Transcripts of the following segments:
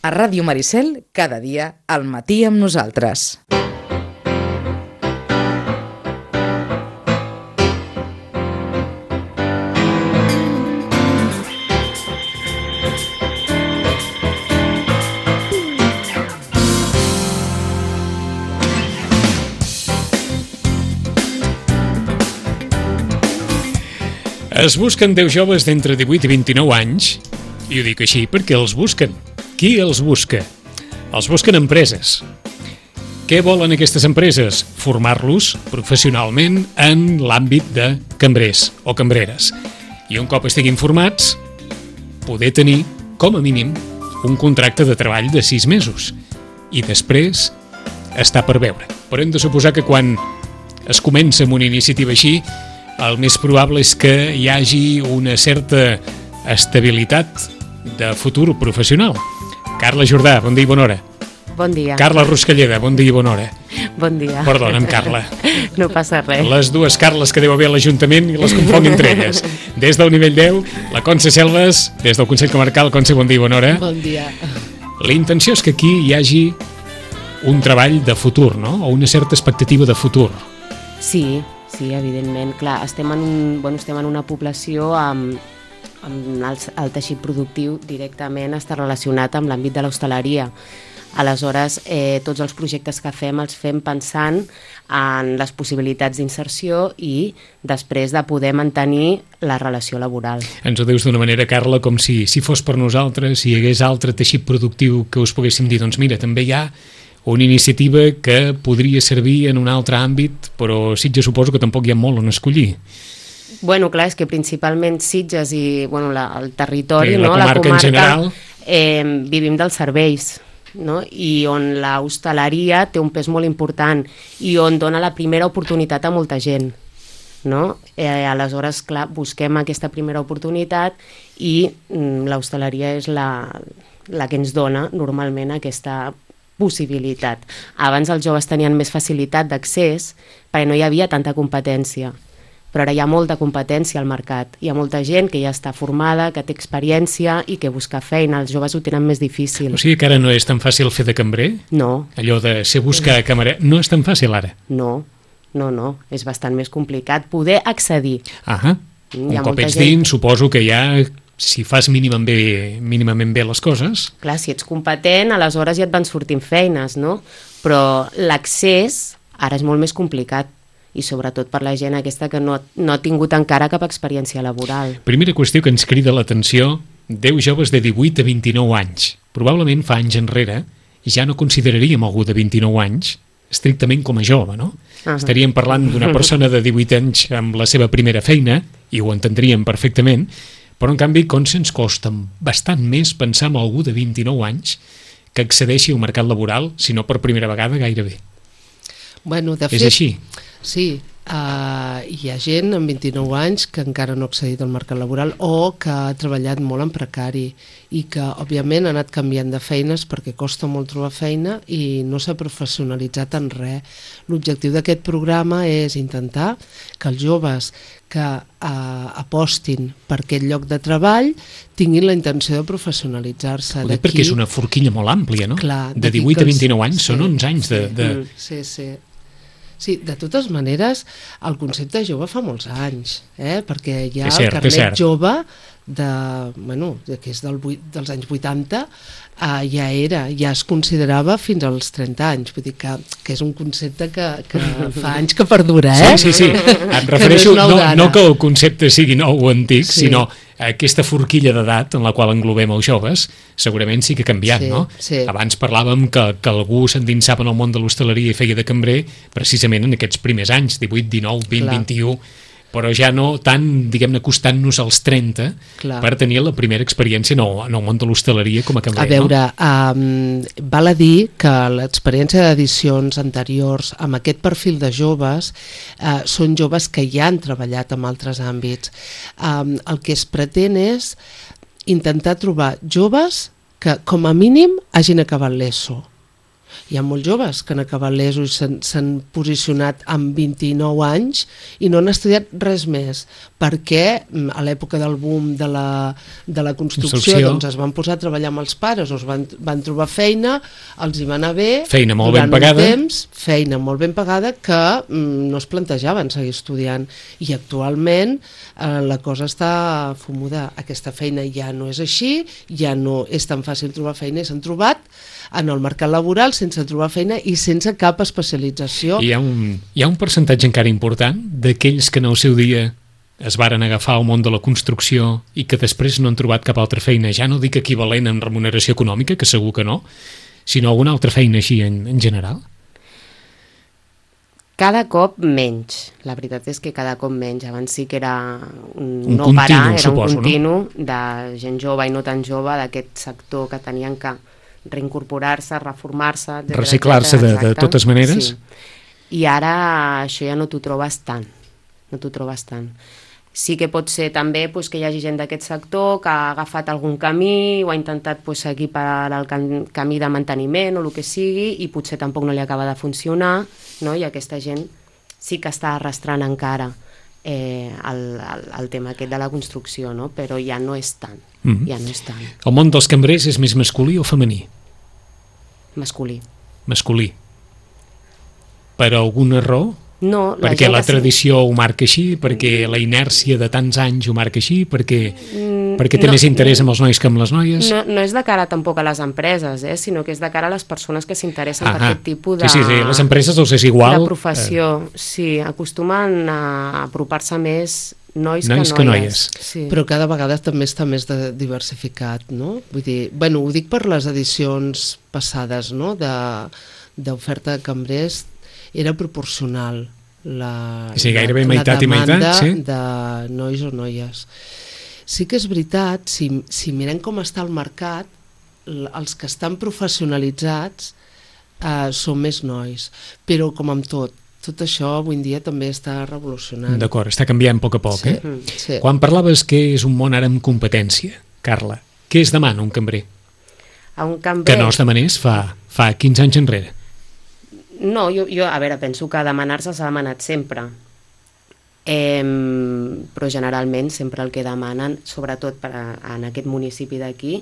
A Ràdio Maricel, cada dia, al matí amb nosaltres. Es busquen 10 joves d'entre 18 i 29 anys, i ho dic així perquè els busquen. Qui els busca? Els busquen empreses. Què volen aquestes empreses? Formar-los professionalment en l'àmbit de cambrers o cambreres. I un cop estiguin formats, poder tenir, com a mínim, un contracte de treball de 6 mesos. I després està per veure. Però hem de suposar que quan es comença amb una iniciativa així, el més probable és que hi hagi una certa estabilitat de futur professional. Carla Jordà, bon dia i bona hora. Bon dia. Carla Ruscalleda, bon dia i bona hora. Bon dia. Perdona'm, Carla. No passa res. Les dues Carles que deu haver a l'Ajuntament i les confong entre elles. Des del nivell 10, la Conce Selves, des del Consell Comarcal. Conce, bon dia i bona hora. Bon dia. La intenció és que aquí hi hagi un treball de futur, no? O una certa expectativa de futur. Sí, evidentment. Clar, estem en una població amb el teixit productiu directament està relacionat amb l'àmbit de l'hostaleria. Aleshores, tots els projectes que fem els fem pensant en les possibilitats d'inserció i després de poder mantenir la relació laboral. Ens ho dius d'una manera, Carla, com si fos per nosaltres, si hi hagués altre teixit productiu que us poguéssim dir, doncs mira, també hi ha una iniciativa que podria servir en un altre àmbit, però Sitges suposo que tampoc hi ha molt on escollir. Bueno, clar, és que principalment Sitges i el territori, la comarca en general, vivim dels serveis, no? I on l'hostaleria té un pes molt important i on dona la primera oportunitat a molta gent, no? Aleshores, clar, busquem aquesta primera oportunitat i l'hostaleria és la que ens dona normalment aquesta possibilitat. Abans els joves tenien més facilitat d'accés perquè no hi havia tanta competència, però ara hi ha molta competència al mercat. Hi ha molta gent que ja està formada, que té experiència i que busca feina. Els joves ho tenen més difícil. O sigui que ara no és tan fàcil fer de cambrer? No. Allò de ser buscar cambrer no és tan fàcil ara? No. És bastant més complicat poder accedir. Un cop ets dins, suposo que ja, si fas mínimament bé les coses... Clar, si ets competent, aleshores ja et van sortint feines, no? Però l'accés ara és molt més complicat i sobretot per la gent aquesta que no ha tingut encara cap experiència laboral. Primera qüestió que ens crida l'atenció, 10 joves de 18 a 29 anys. Probablement fa anys enrere ja no consideraríem algú de 29 anys estrictament com a jove, no? Estaríem parlant d'una persona de 18 anys amb la seva primera feina i ho entendríem perfectament, però en canvi ens costa bastant més pensar en algú de 29 anys que accedeixi al mercat laboral, si no per primera vegada gairebé. Bueno, de fet, és així? Sí, hi ha gent amb 29 anys que encara no ha accedit al mercat laboral o que ha treballat molt en precari i que, òbviament, ha anat canviant de feines perquè costa molt trobar feina i no s'ha professionalitzat en res. L'objectiu d'aquest programa és intentar que els joves que apostin per aquest lloc de treball tinguin la intenció de professionalitzar-se. Ho dic perquè és una forquilla molt àmplia, no? Clar, de 18 a 29 anys són 11 anys de... Sí, de totes maneres, el concepte jove fa molts anys, perquè hi ha el carnet jove que és dels anys 80, ja es considerava fins als 30 anys, vull dir que és un concepte que fa anys que perdura, Sí, em refereixo no que el concepte sigui nou o antic, sinó aquesta forquilla d'edat en la qual englobem els joves, segurament sí que ha canviat, no? Abans parlàvem que algú s'endinsava en el món de l'hostaleria i feia de cambrer precisament en aquests primers anys, 18, 19, 20, 21, però ja no tant, diguem-ne, costant-nos als 30 per tenir la primera experiència en el món de l'hostaleria com a cambrer. A veure, val a dir que l'experiència d'edicions anteriors amb aquest perfil de joves són joves que ja han treballat en altres àmbits. El que es pretén és intentar trobar joves que com a mínim hagin acabat l'ESO. Hi ha molts joves que han acabat l'ESO i s'han posicionat amb 29 anys i no han estudiat res més, perquè a l'època del boom de la construcció doncs es van posar a treballar amb els pares, o van trobar feina, els hi va anar bé, feina molt ben pagada, feina molt ben pagada que no es plantejaven seguir estudiant, i actualment la cosa està fumuda. Aquesta feina ja no és així, ja no és tan fàcil trobar feina, i s'han trobat en el mercat laboral sense trobar feina i sense cap especialització. Hi ha un percentatge encara important d'aquells que en el seu dia es varen agafar al món de la construcció i que després no han trobat cap altra feina, ja no dic equivalent en remuneració econòmica, que segur que no, sinó alguna altra feina així en general? Cada cop menys, la veritat és que cada cop menys. Abans sí que era un no continu, parar, era suposo, un continu, no? De gent jove i no tan jove d'aquest sector que tenien que reincorporar-se, reformar-se, reciclar-se de totes maneres. Sí. I ara això ja no t'ho trobes tant, no t'ho trobes tant. Sí que pot ser també que hi hagi gent d'aquest sector que ha agafat algun camí o ha intentat seguir per el camí de manteniment o el que sigui, i potser tampoc no li acaba de funcionar, no? I aquesta gent sí que està arrastrant encara el tema aquest de la construcció, no? Però ja no és tant. Ja no és tant. El món dels cambrers és més masculí o femení? Masculí. Masculí. Per alguna raó? No, perquè la tradició ho marca així, perquè la inèrcia de tants anys ho marca així, perquè té més interès amb els nois que amb les noies? No és de cara tampoc a les empreses, sinó que és de cara a les persones que s'interessen per aquest tipus de... Sí, les empreses els és igual. De professió, sí, acostumen a apropar-se més nois que noies. Sí. Però cada vegada també està més diversificat, no? Vull dir, ho dic per les edicions passades, no? D'oferta de cambrers era proporcional gairebé meitat i meitat, sí? De nois o noies. Sí que és veritat, si mirem com està el mercat, els que estan professionalitzats són més nois, però com amb tot això avui en dia també està revolucionant. D'acord, està canviant a poc a poc, Sí. Quan parlaves que és un món ara amb competència, Carla, què es demana un cambrer? A un cambrer... Que no es demanés fa 15 anys enrere. No, jo a veure, penso que demanar-se s'ha demanat sempre, però generalment sempre el que demanen, sobretot en aquest municipi d'aquí,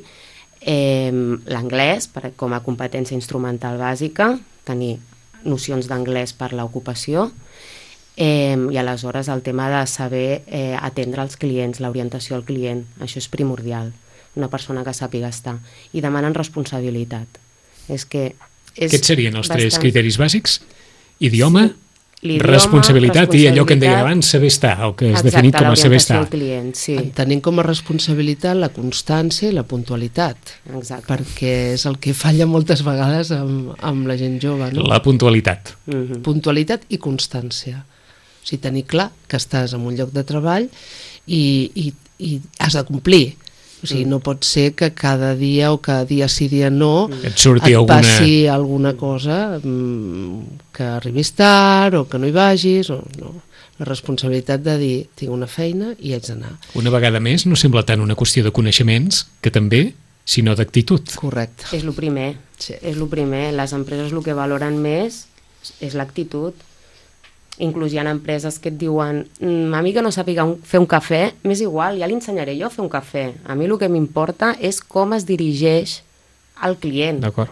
l'anglès com a competència instrumental bàsica, tenir nocions d'anglès per l'ocupació, i aleshores el tema de saber atendre els clients, l'orientació al client, això és primordial, una persona que sàpiga estar, i demanen responsabilitat. Aquests serien els tres criteris bàsics? Idioma, responsabilitat i allò que en deien abans, saber estar, el que és definit com a saber estar. Client, sí. Entenent com a responsabilitat la constància i la puntualitat. Exacte. Perquè és el que falla moltes vegades amb la gent jove, no? La puntualitat. Puntualitat i constància. O sigui, tenir clar que estàs en un lloc de treball i has de complir. O sigui, no pot ser que cada dia o cada dia sí, dia no passi alguna cosa, que arribis tard o que no hi vagis, o no. La responsabilitat de dir, tinc una feina i haig d'anar. Una vegada més, no sembla tant una qüestió de coneixements, que també, sinó d'actitud. Correcte. És el primer, és el primer. Les empreses el que valoren més és l'actitud. Inclús hi ha empreses que et diuen a mi que no sàpiga fer un cafè, m'és igual, ja li ensenyaré jo a fer un cafè. A mi el que m'importa és com es dirigeix al client. D'acord.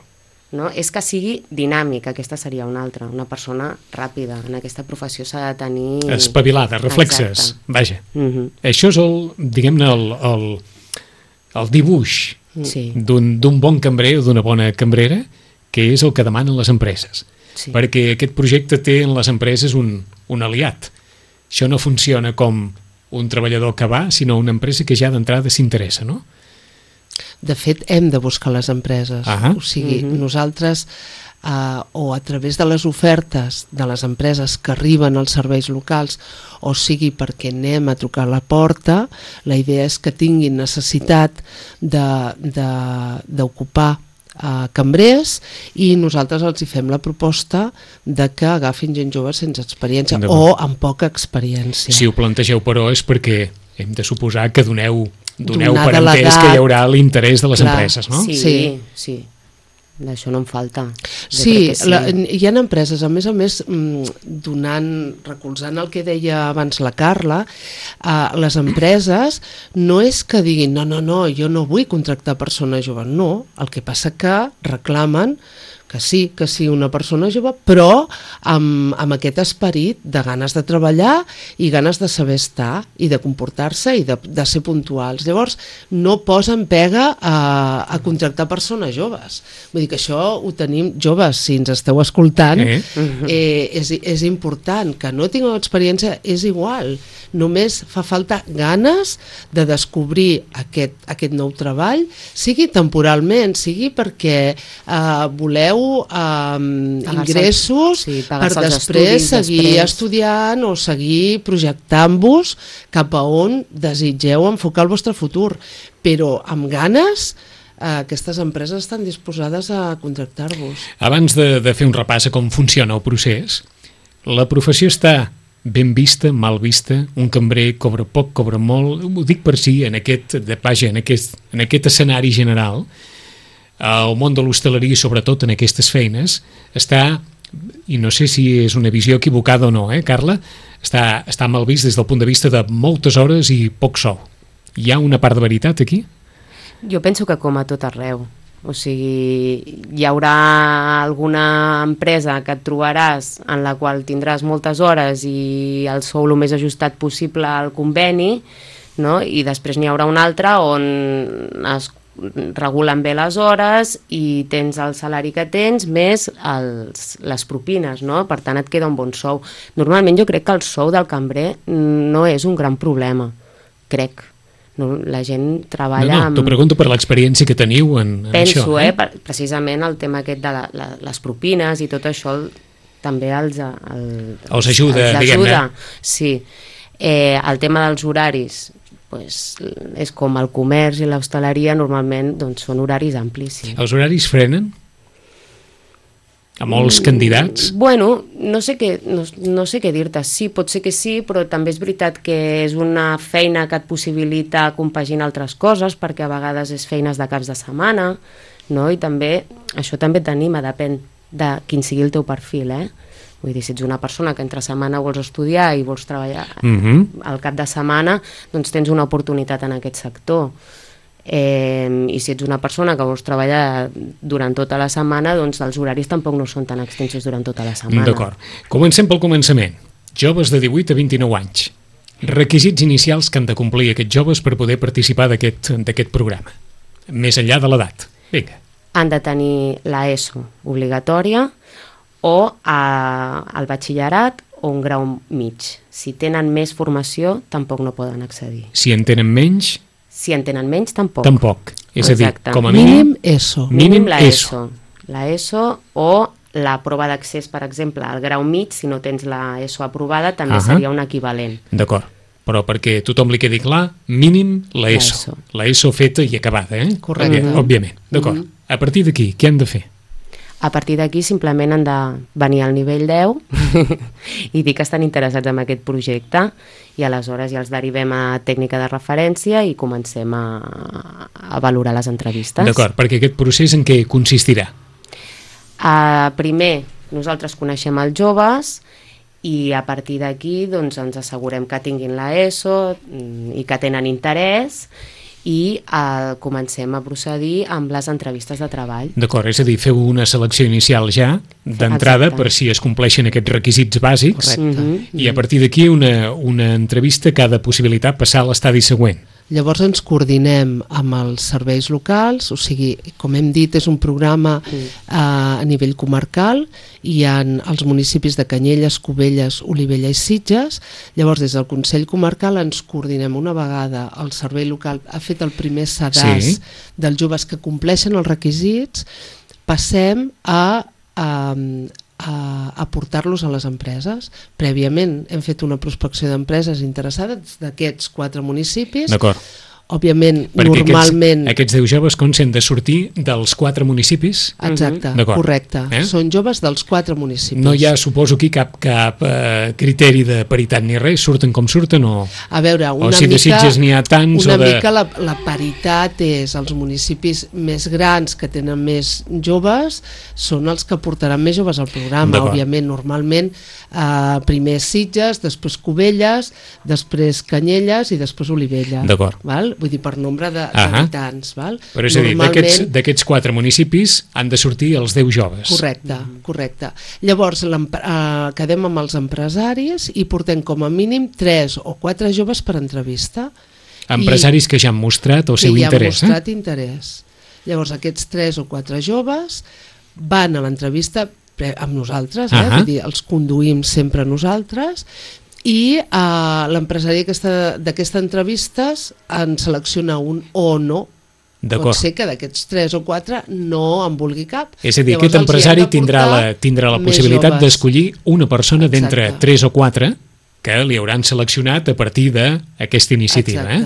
No? És que sigui dinàmic, aquesta seria una altra, una persona ràpida. En aquesta professió s'ha de tenir... Espavilada, reflexes, vaja. Això és diguem-ne, el dibuix d'un bon cambrer o d'una bona cambrera, que és el que demanen les empreses. Sí. Perquè aquest projecte té en les empreses un aliat. Això no funciona com un treballador que va, sinó una empresa que ja d'entrada s'interessa, no? De fet, hem de buscar les empreses. O sigui, nosaltres, o a través de les ofertes de les empreses que arriben als serveis locals, o sigui perquè anem a trucar a la porta, la idea és que tinguin necessitat d'ocupar cambrers, i nosaltres els hi fem la proposta de que agafin gent jove sense experiència o amb poca experiència. Si ho plantegeu, però, és perquè hem de suposar que doneu per entès que hi haurà l'interès de les empreses, no? Sí. D'això no en falta. Sí, hi ha empreses, a més, recolzant el que deia abans la Carla, les empreses no és que diguin no, jo no vull contractar persones joves, no, el que passa que reclamen que sí, una persona jove, però amb aquest esperit de ganes de treballar i ganes de saber estar i de comportar-se i de ser puntuals. Llavors, no posen pega a contractar persones joves. Vull dir que això ho tenim, joves, si ens esteu escoltant, és important. Que no tingueu experiència és igual. Només fa falta ganes de descobrir aquest nou treball, sigui temporalment, sigui perquè voleu ingressos per després seguir estudiant o seguir projectant-vos cap a on desitgeu enfocar el vostre futur, però amb ganes aquestes empreses estan disposades a contractar-vos. Abans de fer un repàs a com funciona el procés, la professió està ben vista, mal vista, un cambrer cobra poc, cobra molt, ho dic per si, en aquest escenari general. El món de l'hostaleria, sobretot en aquestes feines, està, i no sé si és una visió equivocada o no, Carla, està mal vist des del punt de vista de moltes hores i poc sou. Hi ha una part de veritat aquí? Jo penso que com a tot arreu. O sigui, hi haurà alguna empresa que et trobaràs en la qual tindràs moltes hores i el sou el més ajustat possible al conveni, no? I després n'hi haurà una altra on es regulen bé les hores i tens el salari que tens més les propines, no? Per tant et queda un bon sou. Normalment jo crec que el sou del cambrer no és un gran problema, crec. No, la gent treballa t'ho pregunto per l'experiència que teniu en penso, això. Precisament el tema aquest de les propines i tot això també els ajuda, diguem-ne. Sí. El tema dels horaris, és com el comerç i l'hostaleria, normalment són horaris amplis. Sí. Els horaris frenen? A molts candidats? Bueno, no sé què dir-te. Sí, pot ser que sí, però també és veritat que és una feina que et possibilita compaginar altres coses, perquè a vegades és feines de caps de setmana, no? I també, això també t'anima, depèn de quin sigui el teu perfil, Vull dir, si ets una persona que entre setmana vols estudiar i vols treballar al cap de setmana, doncs tens una oportunitat en aquest sector. I si ets una persona que vols treballar durant tota la setmana, doncs els horaris tampoc no són tan extensos durant tota la setmana. D'acord. Comencem pel començament. Joves de 18 a 29 anys. Requisits inicials que han de complir aquests joves per poder participar d'aquest programa, més enllà de l'edat. Vinga. Han de tenir la ESO obligatòria o el batxillerat o un grau mig. Si tenen més formació, tampoc no poden accedir. Si en tenen menys... Si en tenen menys, tampoc. Tampoc. És exacte. A dir, com a mínim ESO. Mínim la ESO. La ESO o la prova d'accés, per exemple, al grau mig, si no tens la ESO aprovada, també seria un equivalent. D'acord. Però perquè tothom li quedi clar, mínim la ESO. La ESO feta i acabada, Correcte. Òbviament. D'acord. A partir d'aquí, què han de fer? A partir d'aquí simplement han de venir al nivell 10 i dir que estan interessats en aquest projecte i aleshores ja els derivem a tècnica de referència i comencem a valorar les entrevistes. D'acord, perquè aquest procés en què consistirà? Primer, nosaltres coneixem els joves i a partir d'aquí doncs, ens assegurem que tinguin la ESO i que tenen interès i comencem a procedir amb les entrevistes de treball. D'acord, és a dir, feu una selecció inicial ja, d'entrada, per si es compleixen aquests requisits bàsics. Correcte. I a partir d'aquí una entrevista que ha de possibilitar passar a l'estadi següent. Llavors ens coordinem amb els serveis locals, o sigui, com hem dit, és un programa a nivell comarcal, hi ha els municipis de Canyelles, Cubelles, Olivella i Sitges. Llavors des del Consell Comarcal ens coordinem una vegada, el servei local ha fet el primer sedàs dels joves que compleixen els requisits, passem a portar-los a les empreses. Prèviament hem fet una prospecció d'empreses interessades d'aquests 4 municipis òbviament, Perquè normalment... aquests 10 joves com s'han de sortir dels 4 municipis? Exacte, correcte. Són joves dels 4 municipis. No hi ha, suposo, aquí cap criteri de paritat ni res, surten com surten o... A veure, o si de Sitges n'hi ha tants una mica la paritat és els municipis més grans que tenen més joves són els que portaran més joves al programa. Òbviament, normalment primer Sitges, després Cubelles, després Canyelles i després Olivella. D'acord. Vull dir, per nombre d'habitants. Però és a dir, d'aquests 4 municipis han de sortir els 10 joves. Correcte. Llavors, quedem amb els empresaris i portem com a mínim 3 o 4 joves per entrevista. Empresaris que ja han mostrat el seu interès. Que ja han mostrat interès. Llavors, aquests 3 o 4 joves van a l'entrevista amb nosaltres, vull dir, els conduïm sempre nosaltres, i l'empresari d'aquestes entrevistes en selecciona un o no. Pot ser que d'aquests 3 o 4 no en vulgui cap. És a dir, aquest empresari tindrà la possibilitat d'escollir una persona d'entre 3 o 4 que li hauran seleccionat a partir d'aquesta iniciativa.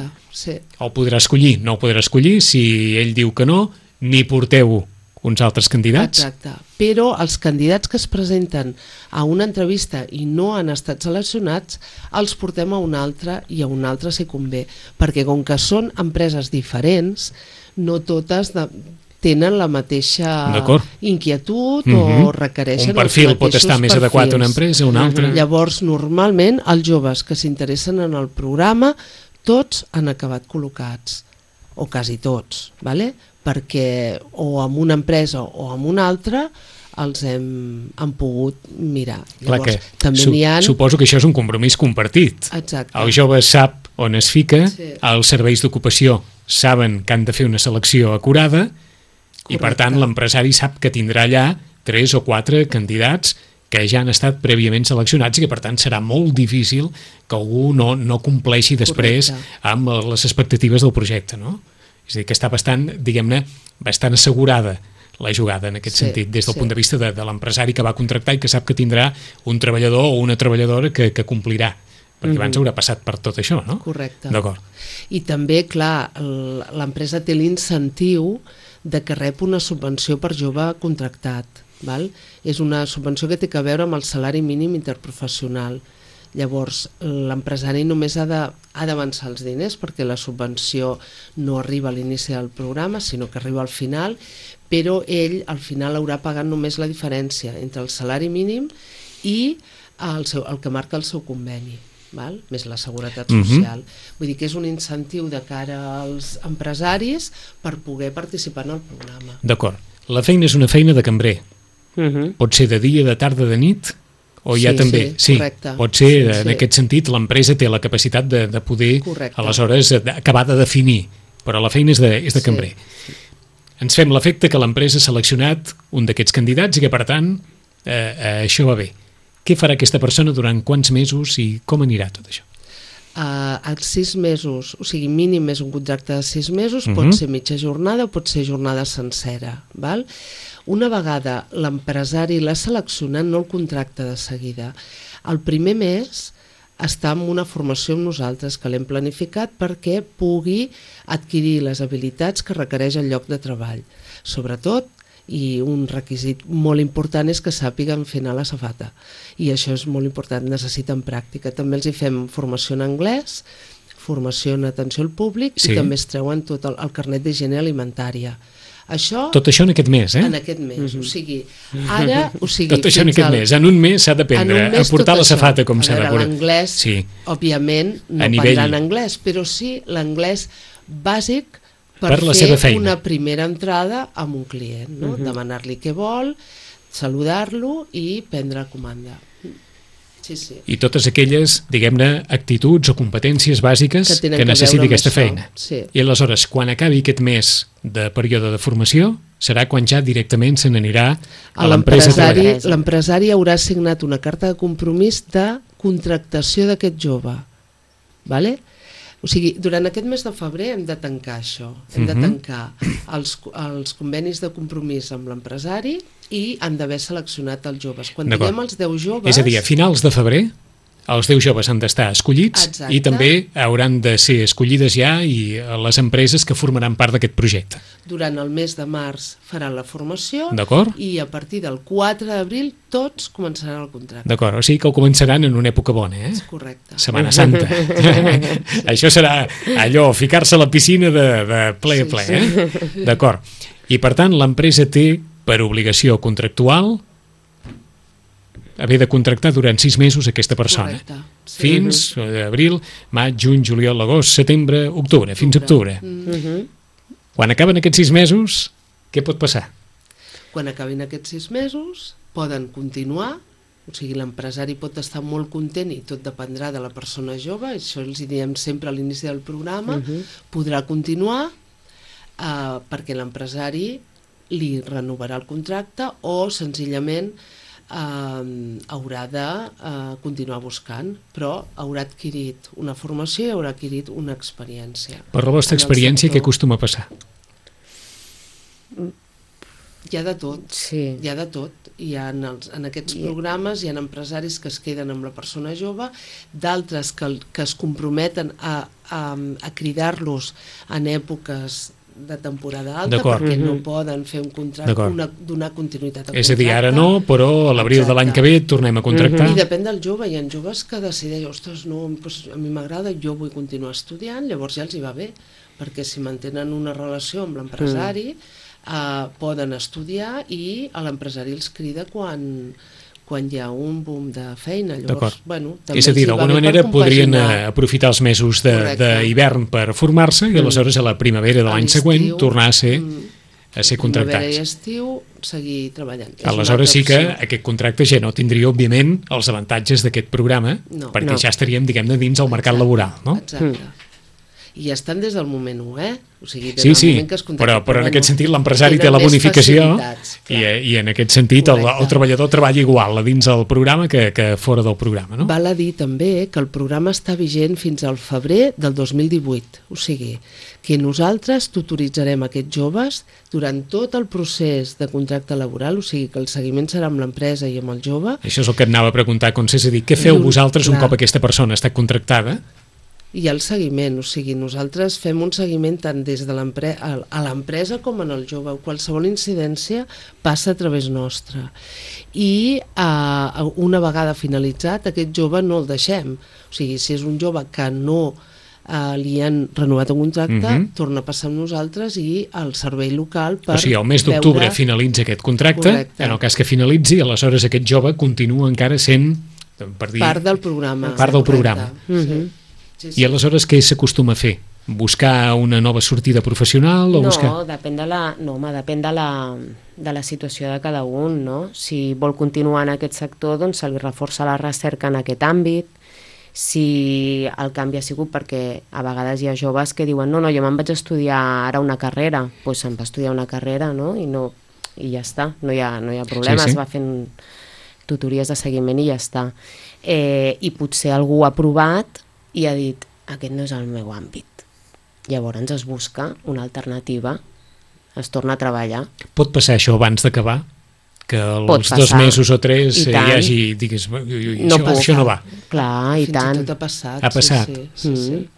O podrà escollir, no ho podrà escollir, si ell diu que no, ni porteu uns altres candidats. Exacte, però els candidats que es presenten a una entrevista i no han estat seleccionats, els portem a una altra i a una altra si convé, perquè com que són empreses diferents, no totes tenen la mateixa inquietud o requereixen un perfil pot estar més adequat a una empresa o una altra. Llavors, normalment, els joves que s'interessen en el programa, tots han acabat col·locats, o quasi tots, perquè o amb una empresa o amb una altra els han pogut mirar. Llavors, també n'hi ha... Suposo que això és un compromís compartit. Exacte. El jove sap on es fica, els serveis d'ocupació saben que han de fer una selecció acurada i per tant l'empresari sap que tindrà allà 3 o 4 candidats que ja han estat prèviament seleccionats i que per tant serà molt difícil que algú no compleixi després amb les expectatives del projecte, no? És a dir, que està bastant, diguem-ne, bastant assegurada la jugada en aquest sentit, des del punt de vista de l'empresari que va contractar i que sap que tindrà un treballador o una treballadora que complirà, perquè abans haurà passat per tot això, no? Correcte. D'acord. I també, clar, l'empresa té l'incentiu de que rep una subvenció per jove contractat. És una subvenció que té a veure amb el salari mínim interprofessional. Llavors, l'empresari només ha d'avançar els diners perquè la subvenció no arriba a l'inici del programa, sinó que arriba al final, però ell al final haurà pagat només la diferència entre el salari mínim i el que marca el seu conveni, més la seguretat social. Vull dir que és un incentiu de cara als empresaris per poder participar en el programa. D'acord. La feina és una feina de cambrer. Pot ser de dia, de tarda, de nit... O ja també, pot ser, en aquest sentit, l'empresa té la capacitat de poder, aleshores, acabar de definir, però la feina és de cambrer. Ens fem l'efecte que l'empresa ha seleccionat un d'aquests candidats i que, per tant, això va bé. Què farà aquesta persona durant quants mesos i com anirà tot això? Els 6 mesos, o sigui, mínim és un contracte de 6 mesos, pot ser mitja jornada o pot ser jornada sencera, Una vegada l'empresari l'ha seleccionat, no el contracta de seguida. El primer mes està en una formació amb nosaltres que l'hem planificat perquè pugui adquirir les habilitats que requereix el lloc de treball. Sobretot, i un requisit molt important és que sàpiguen fer anar la safata. I això és molt important, necessiten pràctica. També els hi fem formació en anglès, formació en atenció al públic i també es treuen tot el carnet d'higiene alimentària. Tot això en aquest mes, En aquest mes, o sigui, ara... Tot això en aquest mes, en un mes s'ha d'aprendre a portar la safata com s'ha de veure. L'anglès, òbviament, no parlant anglès, però sí l'anglès bàsic per fer una primera entrada amb un client, demanar-li què vol, saludar-lo i prendre comanda. I totes aquelles, diguem-ne, actituds o competències bàsiques que necessiti aquesta feina. I aleshores, quan acabi aquest mes de període de formació, serà quan ja directament se n'anirà a l'empresa a treballar. L'empresari haurà signat una carta de compromís de contractació d'aquest jove. O sigui, durant aquest mes de febrer hem de tancar això, hem de tancar els convenis de compromís amb l'empresari i han d'haver seleccionat els joves. Quan tinguem els 10 joves... És a dir, a finals de febrer els 10 joves han d'estar escollits. Exacte. I també hauran de ser escollides ja i les empreses que formaran part d'aquest projecte. Durant el mes de març faran la formació. D'acord? I a partir del 4 d'abril tots començaran el contracte. D'acord, o sigui que ho començaran en una època bona, eh? Correcte. Setmana Santa. Això serà allò, ficar-se a la piscina de ple a ple, eh? D'acord. I per tant, l'empresa té per obligació contractual haver de contractar durant 6 mesos aquesta persona. Correcte. Sí. Fins abril, maig, juny, juliol, agost, setembre, octubre, fins a octubre. Quan acaben aquests 6 mesos, què pot passar? Quan acabin aquests 6 mesos, poden continuar, o sigui, l'empresari pot estar molt content i tot dependrà de la persona jove, això els diem sempre a l'inici del programa, podrà continuar perquè l'empresari li renovarà el contracte o senzillament haurà de continuar buscant, però haurà adquirit una formació i haurà adquirit una experiència. Per la vostra experiència, què acostuma a passar? Hi ha de tot, Sí. hi ha de tot. En aquests programes hi ha empresaris que es queden amb la persona jove, d'altres que es comprometen a cridar-los en èpoques de temporada alta perquè no poden fer un contracte, donar continuïtat al contracte. És a dir, ara no, però a l'abril de l'any que ve tornem a contractar. I depèn del jove, hi ha joves que decideixen, ostres, no, doncs a mi m'agrada, jo vull continuar estudiant, llavors ja els hi va bé, perquè si mantenen una relació amb l'empresari poden estudiar i l'empresari els crida quan hi ha un boom de feina. Llavors, bueno, és a dir, d'alguna manera podrien aprofitar els mesos d'hivern per formar-se i aleshores a la primavera de l'any següent tornar a ser contractats. Primavera i estiu, seguir treballant. Aleshores sí que aquest contracte ja no tindria, òbviament, els avantatges d'aquest programa, perquè ja estaríem, diguem-ne, dins el mercat laboral, no? Exacte. I estan des del moment 1, O sigui, des del moment que es contracta. Però en aquest sentit l'empresari té la bonificació i en aquest sentit el treballador treballa igual a dins del programa que fora del programa, no? Val a dir també que el programa està vigent fins al febrer del 2018, o sigui, que nosaltres tutoritzarem aquests joves durant tot el procés de contracte laboral, o sigui que el seguiment serà amb l'empresa i amb el jove. Això és el que et anava a preguntar, Conce, és a dir, què feu vosaltres un cop aquesta persona està contractada? I el seguiment, o sigui, nosaltres fem un seguiment tant des de l'empresa com en el jove. Qualsevol incidència passa a través nostre. I una vegada finalitzat, aquest jove no el deixem. O sigui, si és un jove que no li han renovat un contracte, torna a passar amb nosaltres i al servei local per veure... O sigui, el mes d'octubre finalitza aquest contracte, en el cas que finalitzi, aleshores aquest jove continua encara sent, per dir... part del programa. Part del programa. I aleshores què s'acostuma a fer? Buscar una nova sortida professional? O buscar... depèn de la situació de cada un, no? Si vol continuar en aquest sector, doncs se li reforça la recerca en aquest àmbit. Si el canvi ha sigut perquè a vegades hi ha joves que diuen no, jo me'n vaig estudiar ara una carrera, doncs se'n va estudiar una carrera, no? I ja està, no hi ha problema, es va fent tutories de seguiment i ja està. I potser algú ha provat i ha dit, aquest no és el meu àmbit. Llavors es busca una alternativa, es torna a treballar. Pot passar això abans d'acabar? Que els 2 mesos o 3 hi hagi, digues, això no va. Clar, i tant. Fins i tot ha passat. Ha passat. Sí.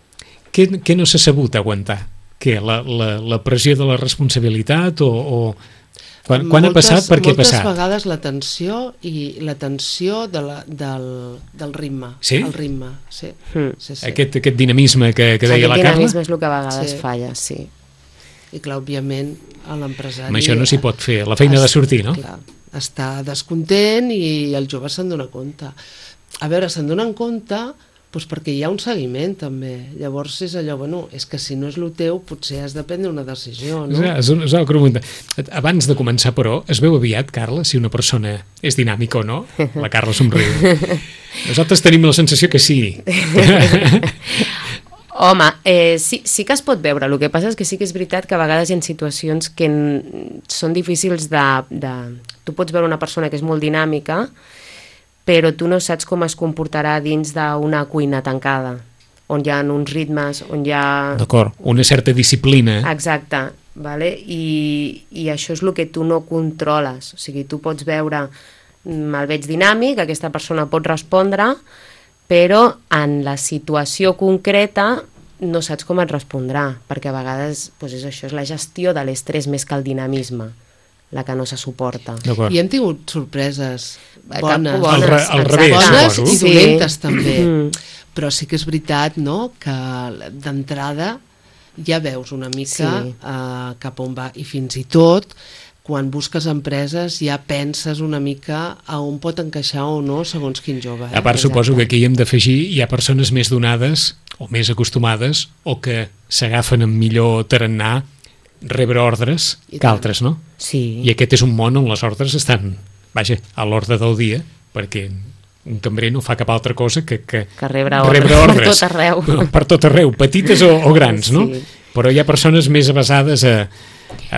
Què no s'ha sabut aguantar? Què, la pressió de la responsabilitat o... Quan ha passat, per què ha passat? Moltes vegades la tensió del ritme. Sí? El ritme, sí. Aquest dinamisme que deia la Carla? Aquest dinamisme és el que a vegades falla, sí. I clar, òbviament, a l'empresari... Amb això no s'hi pot fer, la feina ha de sortir, no? Clar, està descontent i el jove se'n dona compte. A veure, se'n donen compte doncs perquè hi ha un seguiment també. Llavors és allò, bueno, és que si no és el teu potser has de prendre una decisió, no? Abans de començar, però, es veu aviat, Carla, si una persona és dinàmica o no? La Carla somriu. Nosaltres tenim la sensació que sí. Home, sí que es pot veure, el que passa és que sí que és veritat que a vegades hi ha situacions que són difícils de... Tu pots veure una persona que és molt dinàmica, però tu no saps com es comportarà dins d'una cuina tancada, on hi ha uns ritmes, on hi ha... D'acord, una certa disciplina. Exacte, vale? I això és el que tu no controles, o sigui, tu pots veure, el veig dinàmic, aquesta persona pot respondre, però en la situació concreta no saps com et respondrà, perquè a vegades doncs és això, és la gestió de l'estrès més que el dinamisme, la que no se suporta. D'acord. I hem tingut sorpreses bones. Bones, Al revés, Bones suposo. i dolentes també. Mm. Però sí que és veritat, no?, que d'entrada ja veus una mica Sí. cap on va, i fins i tot quan busques empreses ja penses una mica a on pot encaixar o no segons quin jove. A part, suposo que aquí hi hem d'afegir, hi ha persones més donades o més acostumades o que s'agafen amb millor tarannà rebre ordres I que tant. altres, no? Sí. I aquest és un món on les ordres estan, vaja, a l'ordre del dia, perquè un cambrer no fa cap altra cosa que rebre ordres per tot arreu. Per tot arreu, petites o grans, no? Sí. Però hi ha persones més avasades a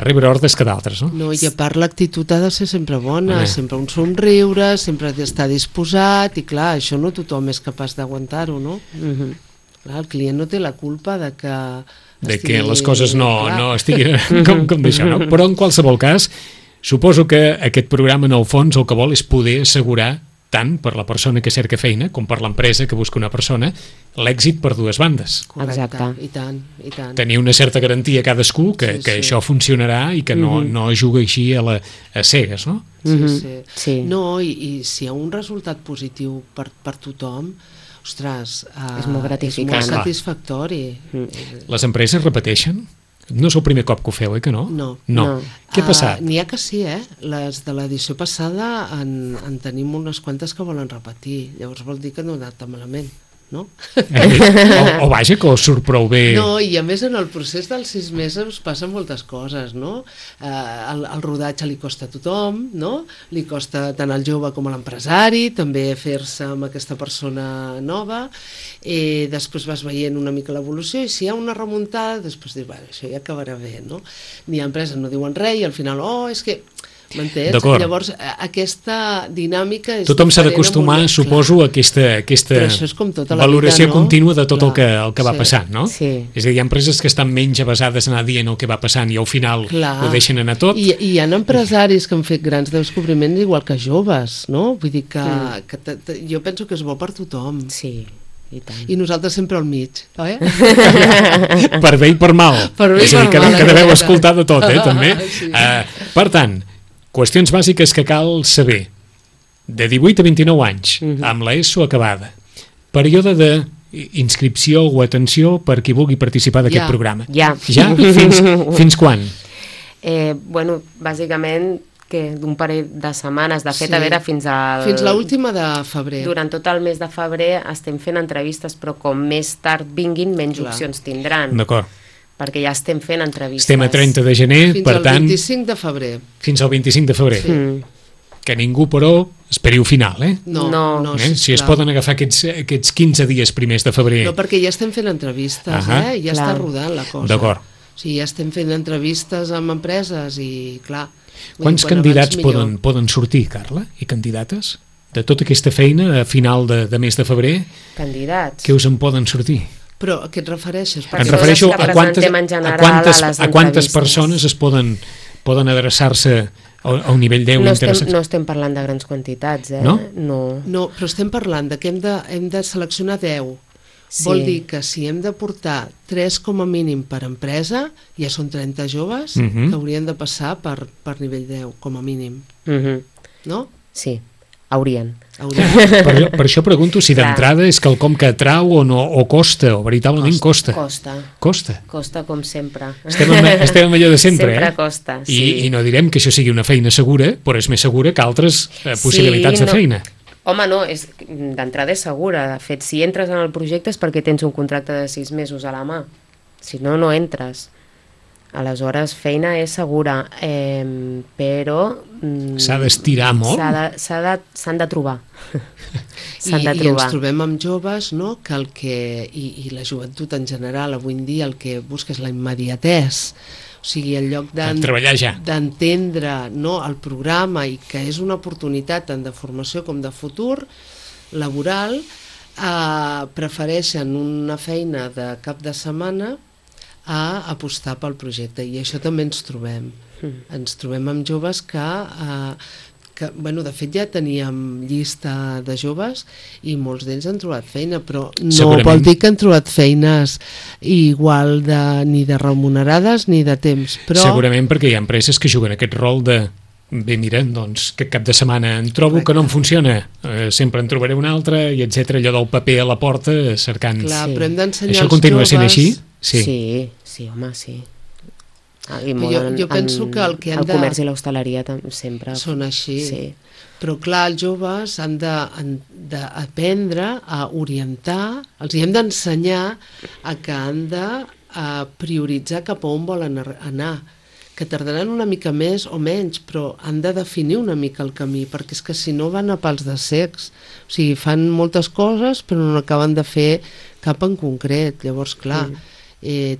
rebre ordres que d'altres, no? No, i a part l'actitud ha de ser sempre bona, Ah. sempre un somriure, sempre estar disposat, i clar, això no tothom és capaç d'aguantar-ho, no? Clar, el client no té la culpa de que Les coses no clar. estiguin com d'això, no? Però en qualsevol cas, suposo que aquest programa en el fons el que vol és poder assegurar tant per la persona que cerca feina com per l'empresa que busca una persona l'èxit per dues bandes. Correcte, Exacte. i tant, i tant. Tenir una certa garantia a cadascú que Sí. això funcionarà i que no juga així a cegues, no? Sí. No, i si hi ha un resultat positiu per tothom, ostres, És molt gratificant. És Clar. molt satisfactori. Les empreses repeteixen? No és el primer cop que ho feu, que no? No. No. Què ha passat? N'hi ha que sí, les de l'edició passada en tenim unes quantes que volen repetir, llavors vol dir que no ha anat tan malament, no? O vaja, que us surt prou bé. No, i a més en el procés dels 6 mesos passen moltes coses, no? El rodatge li costa a tothom, no? Li costa tant al jove com a l'empresari, també fer-se amb aquesta persona nova, després vas veient una mica l'evolució i si hi ha una remuntada, després dius, bueno, això ja acabarà bé, no? Ni a empreses no diuen res i al final, és que... M'entens? D'acord. Llavors, aquesta dinàmica és... Tothom s'ha diferent d'acostumar, amb un- suposo, a aquesta Però això és com tota la valoració vida, no? contínua de tot el Clar, que va sí. passant, no? Sí. És a dir, hi ha empreses que estan menys avasades a anar dient el que va passant i al final Clar. ho deixen anar tot. I hi ha empresaris que han fet grans descobriments igual que joves, no? Vull dir que, jo penso que és bo per tothom. Sí, i tant. I nosaltres sempre al mig, oi? Per bé i per mal. Per bé i és a dir, per mal, que deveu exacte. escoltar de tot, també. Sí. Per tant, qüestions bàsiques que cal saber. De 18 a 29 anys, amb l'ESO acabada. Període d'inscripció o atenció per qui vulgui participar d'aquest Ja. programa. Ja. Ja? Fins quan? Bueno, bàsicament que d'un parell de setmanes, de fet, Sí. a veure, fins l'última de febrer. Durant tot el mes de febrer estem fent entrevistes, però com més tard vinguin, menys Clar. opcions tindran, D'acord. perquè ja estem fent entrevistes. Estem a 30 de gener, Fins per al tant, 25 de febrer. fins al 25 de febrer. Que ningú, però, esperiu final, No. Si es sisplau. poden agafar aquests 15 dies primers de febrer. No, perquè ja estem fent entrevistes, Ahà. ja Clar. està rodant la cosa. D'acord. O sigui, ja estem fent entrevistes amb empreses i, clar... Quants quan candidats abans millor. poden sortir, Carla, i candidates? De tota aquesta feina a final de mes de febrer, Candidats. què us en poden sortir? Però a què et refereixes? Em Persones refereixo que a quantes, presentem en general a quantes, a les a quantes entrevistes. persones es poden adreçar-se a un nivell 10 No interessant. estem parlant de grans quantitats, No? No. No, però estem parlant de que hem de seleccionar 10. Sí. Vol dir que si hem de portar 3 com a mínim per empresa, ja són 30 joves que haurien de passar per nivell 10, com a mínim. No? Sí, haurien. Haurien. Per això pregunto si Clar. d'entrada és quelcom que atrau o no, o costa, o veritablement costa. Costa Costa. com sempre. Estem amb allò de sempre, Sempre costa, sí. I no direm que això sigui una feina segura, però és més segura que altres possibilitats de feina. Home, no, d'entrada és segura. De fet, si entres en el projecte és perquè tens un contracte de 6 mesos a la mà. Si no, no entres. Aleshores, feina és segura, però... S'ha d'estirar molt. S'han de trobar. I ens trobem amb joves, no?, que i la joventut en general avui en dia el que busca és la immediatès. O sigui, en lloc treballar ja. d'entendre, no, el programa i que és una oportunitat tant de formació com de futur laboral, prefereixen una feina de cap de setmana a apostar pel projecte, i això també ens trobem. Ens trobem amb joves que que, bueno, de fet ja teníem llista de joves i molts d'ells han trobat feina, però no Segurament. vol dir que han trobat feines igual ni de remunerades ni de temps. Però... Segurament perquè hi ha empreses que juguen aquest rol de bé, mira, doncs, que cap de setmana en trobo que no em funciona, sempre en trobaré un altre, i etcètera, allò del paper a la porta cercant... Clar, però hem d'ensenyar Això als continua sent joves... així? Sí, home, sí. Jo penso que el que han el comerç i l'hostaleria sempre són així. Sí. Però clar, els joves han d'aprendre a orientar, els hi hem d'ensenyar a que han de prioritzar cap a on volen anar, que tardaran una mica més o menys, però han de definir una mica el camí, perquè és que si no van a pals de cecs. O sigui, fan moltes coses però no acaben de fer cap en concret. Llavors, clar,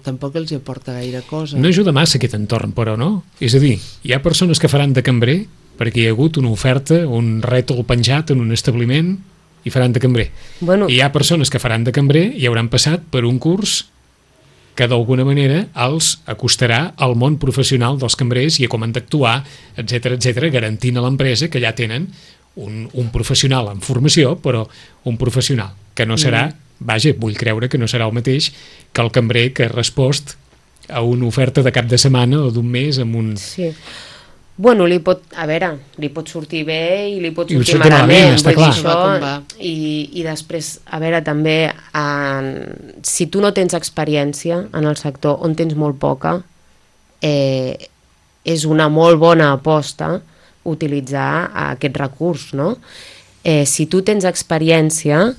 tampoc els hi aporta gaire cosa. No ajuda massa aquest entorn, però, no? És a dir, hi ha persones que faran de cambrer perquè hi ha hagut una oferta, un rètol penjat en un establiment i faran de cambrer. Bueno, I hi ha persones que faran de cambrer i hauran passat per un curs que d'alguna manera els acostarà al món professional dels cambrers i a com han d'actuar, etcètera, garantint a l'empresa que ja tenen un professional en formació, però un professional que no serà, vaja, vull creure que no serà el mateix que el cambrer que ha respost a una oferta de cap de setmana o d'un mes amb un... Sí. Bueno, li pot sortir bé i li pot I sortir sortir malament, malament, està vull clar. dir això, i després, a veure, també, si tu no tens experiència en el sector, on tens molt poca, és una molt bona aposta utilitzar aquest recurs, no? Si tu tens experiència,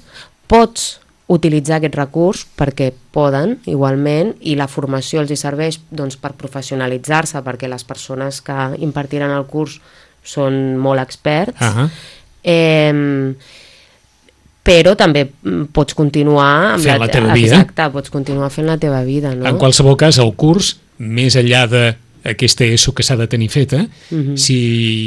pots utilitzar aquest recurs perquè poden igualment, i la formació els hi serveix doncs, per professionalitzar-se, perquè les persones que impartiran el curs són molt experts. Però també pots continuar amb fent la teva vida. Exacte, pots continuar fent la teva vida, no? En qualsevol cas, el curs, més enllà d'aquesta ESO que s'ha de tenir feta, si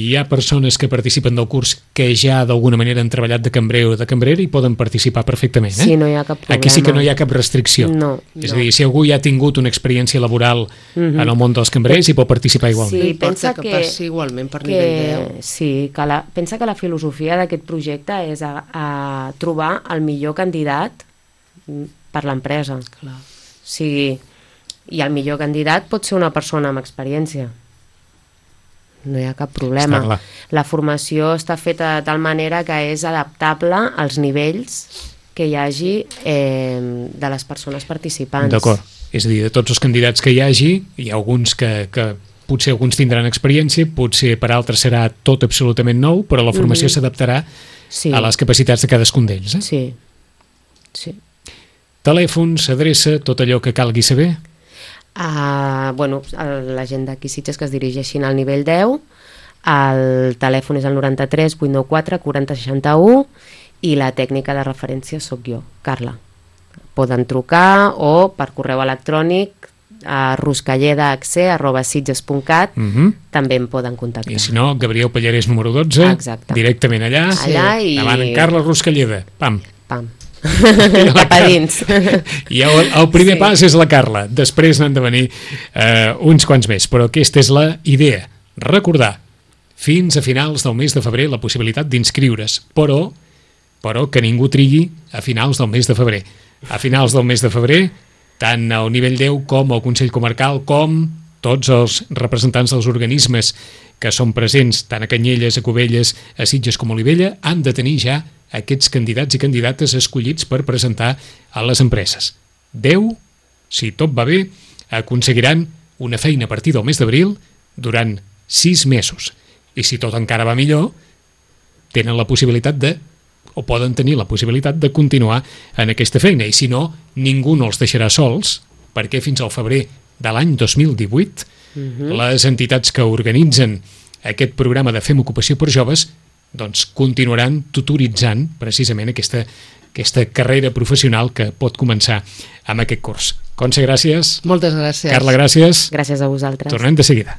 hi ha persones que participen del curs que ja d'alguna manera han treballat de cambrer o de cambrera, hi poden participar perfectament. Sí, no hi ha cap problema. Aquí sí que no hi ha cap restricció. No. És a dir, si algú ja ha tingut una experiència laboral en el món dels cambrers, hi pot participar igualment. Sí, pensa que passi igualment per nivell 10. Sí, pensa que la filosofia d'aquest projecte és a trobar el millor candidat per l'empresa. Clar. O sigui, i el millor candidat pot ser una persona amb experiència. No hi ha cap problema. La formació està feta de tal manera que és adaptable als nivells que hi hagi de les persones participants. D'acord. És a dir, de tots els candidats que hi hagi, hi ha alguns que potser alguns tindran experiència, potser per altres serà tot absolutament nou, però la formació s'adaptarà a les capacitats de cadascun d'ells. Sí. Telèfons, adreça, tot allò que calgui saber? Bueno, la gent d'aquí Sitges que es dirigeixin al nivell 10, el telèfon és el 93 894 40 61 i la tècnica de referència sóc jo, Carla. Poden trucar o per correu electrònic a ruscalleda.ac@sitges.cat també em poden contactar. I si no, Gabriel Pallarès número 12, directament allà, davant en Carla Ruscalleda. Pam. Cap a dins. I el primer pas és la Carla, després n'han de venir uns quants més, però aquesta és la idea, recordar fins a finals del mes de febrer la possibilitat d'inscriure's, però que ningú trigui a finals del mes de febrer. A finals del mes de febrer, tant al nivell 10 com al Consell Comarcal, com tots els representants dels organismes que són presents tant a Canyelles, a Cubelles, a Sitges com a Olivella, han de tenir ja aquests candidats i candidates escollits per presentar a les empreses. 10, si tot va bé, aconseguiran una feina a partir del mes d'abril durant 6 mesos. I si tot encara va millor, tenen la possibilitat o poden tenir la possibilitat de continuar en aquesta feina. I si no, ningú no els deixarà sols, perquè fins al febrer de l'any 2018 les entitats que organitzen aquest programa de Fem Ocupació per Joves doncs continuaran tutoritzant precisament aquesta carrera professional que pot començar amb aquest curs. Concha, gràcies. Moltes gràcies. Carla, gràcies. Gràcies a vosaltres. Tornem de seguida.